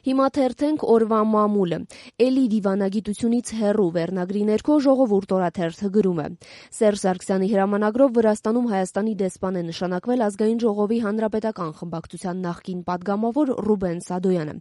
Հիմա թերթենք օրվա մամուլը։ Էլի դիվանագիտությունից հեռու վերնագրի ներքո ժողովուրդ օրաթերթը գրում է. Սերժ Սարգսյանի հրամանագրով Վրաստանում Հայաստանի դեսպան է նշանակվել Ազգային ժողովի հանրապետական խմբակցության նախկին падգամավոր Ռուբեն Սադոյանը։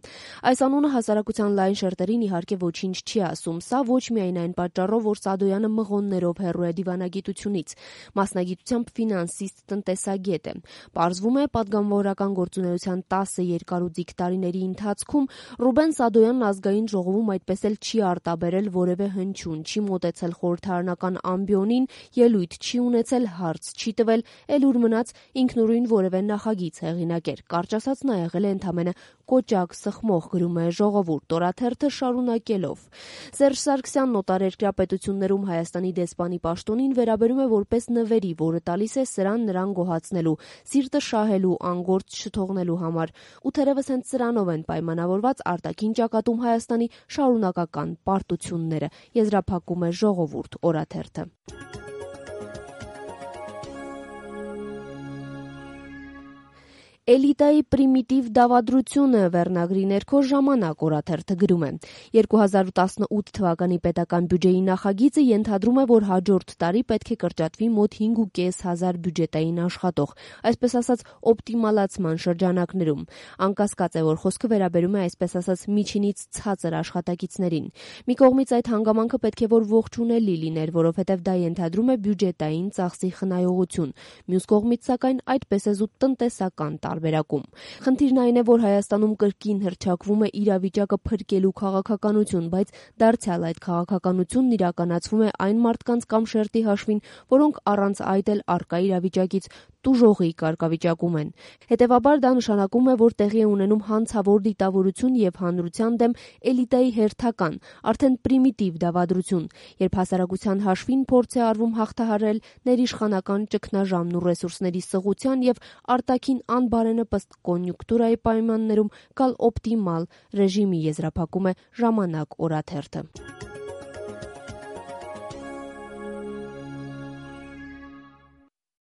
Այս անունը հասարակության լայն շերտերին իհարկե ոչինչ չի ասում, սա ոչ միայն այն պատճառով, որ Սադոյանը մղոններով հեռու է դիվանագիտությունից, մասնագիտությամբ ֆինանսիստ տնտեսագետ է։ Պարզվում է, падգամավորական գործունեության 10 երկարուձիգ տարիների ընթացքում Ռուբեն Սադոյանն Ազգային ժողովում այդպես էլ չի արտաբերել որևէ հնչյուն, չի մոտեցել խորհրդարանական ամբիոնին, ելույթ չի ունեցել, հարց չի տվել, էլ ուր մնաց ինքնուրույն որևէ նախագիծ հեղինակեր։ Կարճ ասած, նա եղել է ընդամենը կոճակ սխմող, գրում է Ժողովուրդ օրաթերթը շարունակելով. Սերժ Սարգսյանն օտարերկրյա պետություններում Հայաստանի դեսպանի պաշտոնին վերաբերում է որպես նվերի, որը տալիս է սրան նրան գոհացնելու, սիրտը շահելու, անգործ չթողնելու համար։ Ու թերևս հենց սրանով են պայմանավորված արտաքին ճակատում Հայաստանի շարունակական պարտությունները, եզրափակում է Ժողովուրդ օրաթերթը։ Էլիտայի պրիմիտիվ դավադրությունը վերնագրի ներքո Ժամանակ օրաթերթը գրում է. 2018 թվականի պետական բյուջեի նախագիծը ենթադրում է, որ հաջորդ տարի պետք է կրճատվի մոտ 5,500 բյուջետային աշխատող, այսպես ասած օպտիմալացման շրջանակներում։ Անկասկած է, որ խոսքը վերաբերում է այսպես ասած միջինից ցածր աշխատակիցներին։ Մի կողմից այդ հանգամանքը պետք է որ ողջունելի լիներ, որովհետև դա ենթադրում է բյուջետային ծախսի խնայողություն։ Մյուս կողմից, սակայն, այդպես է զուտ տնտեսական տարբերակում։ Խնդիրն այն է, որ Հայաստանում կրկին հռչակվում է իրավիճակը փրկելու քաղաքականություն, բայց դարձյալ այդ քաղաքականությունն իրականացվում է այն մարդկանց կամ շերտի հաշվին, որոնք առանց այդ էլ առկա իրավիճակից տուժողի կարգավիճակում են։ Հետևաբար դա նշանակում է, որ տեղի է ունենում հանցավոր դիտավորություն եւ հանրության դեմ էլիտայի հերթական, արդեն պրիմիտիվ դավադրություն, երբ հասարակության հաշվին փորձ է արվում հաղթահարել ներիշխանական ճգնաժամն ու ռեսուրսների սղության եւ արտաքին անբարենպաստ կոնյունկտուրայի պայմաններում գալ օպտիմալ ռեժիմի, եզրափակում է Ժամանակ օրաթերթը։